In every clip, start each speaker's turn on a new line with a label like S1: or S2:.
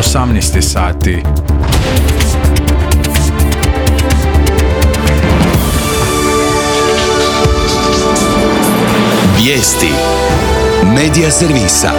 S1: 18 sati.
S2: Vijesti Medija servisa.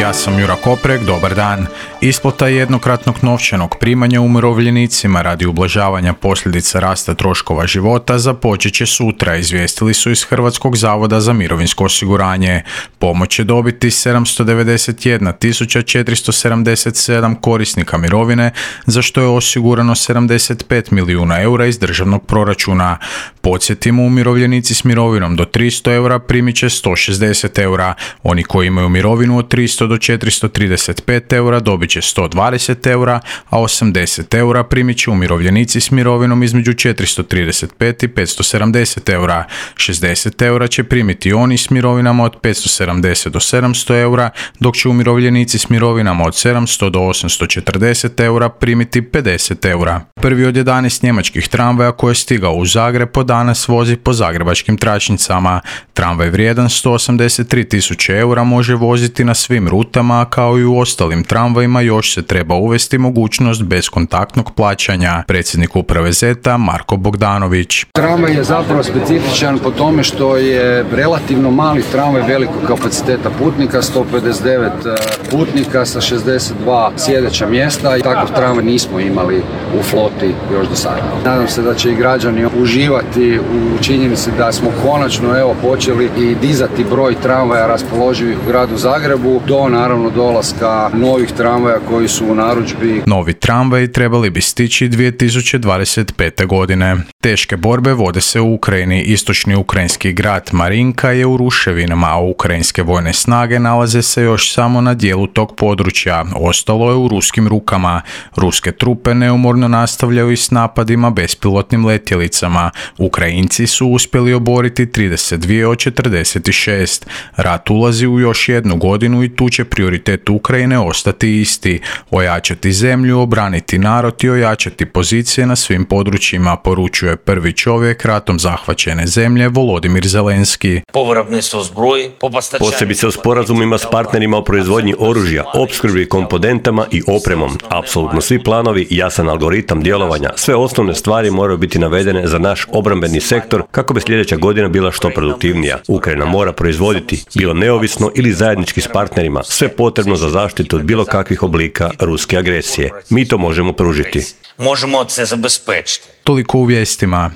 S1: Ja sam Jura Koprek, dobar dan. Isplata jednokratnog novčanog primanja umirovljenicima radi ublažavanja posljedica rasta troškova života započet će sutra, izvijestili su iz Hrvatskog zavoda za mirovinsko osiguranje. Pomoć će dobiti 791.477 korisnika mirovine, za što je osigurano 75 milijuna eura iz državnog proračuna. Podsjetimo, umirovljenici s mirovinom do 300 eura primit će 160 eura. Oni koji imaju mirovinu od 300 do 435 eura dobit će 120 eura, a 80 eura primit će umirovljenici s mirovinom između 435 i 570 eura. 60 eura će primiti oni s mirovinama od 570 do 700 eura, dok će umirovljenici s mirovinama od 700 do 840 eura primiti 50 eura. Prvi od 11 njemačkih tramvaja koji je stigao u Zagreb danas vozi po zagrebačkim tračnicama. Tramvaj vrijedan 183.000 eura može voziti na svim rutama, kao i u ostalim tramvajima još se treba uvesti mogućnost bezkontaktnog plaćanja. Predsjednik uprave ZET-a Marko Bogdanović.
S3: Tramvaj je zapravo specifičan po tome što je relativno mali tramvaj velikog kapaciteta putnika, 159 putnika sa 62 sjedeća mjesta i takav tramvaj nismo imali u floti još do sada. Nadam se da će i građani uživati u činjenici da smo konačno počeli i dizati broj tramvaja raspoloživih u gradu Zagrebu do naravno dolaska novih tramvaja koji su u narudžbi.
S1: Novi tramvaji trebali bi stići 2025. godine. Teške borbe vode se u Ukrajini. Istočni ukrajinski grad Marinka je u ruševinama, a ukrajinske vojne snage nalaze se još samo na dijelu tog područja. Ostalo je u ruskim rukama. Ruske trupe neumorno nastavljaju i s napadima bespilotnim letjelicama. Ukrajinci su uspjeli oboriti 32 od 46. Rat ulazi u još jednu godinu i tu će prioritet Ukrajine ostati isti. Ojačati zemlju, obraniti narod i ojačati pozicije na svim područjima, poručuje prvi čovjek ratom zahvaćene zemlje Volodimir Zelenski.
S4: Posebice u sporazumima s partnerima o proizvodnji oružja, opskrbi komponentama i opremom. Apsolutno svi planovi, jasan algoritam djelovanja, sve osnovne stvari moraju biti navedene za naš obrambeni sektor kako bi sljedeća godina bila što produktivnija. Ukrajina mora proizvoditi, bilo neovisno ili zajednički s partnerima, sve potrebno za zaštitu od bilo kakvih oblika ruske agresije. Mi to možemo pružiti.
S1: Toliko u vijestima.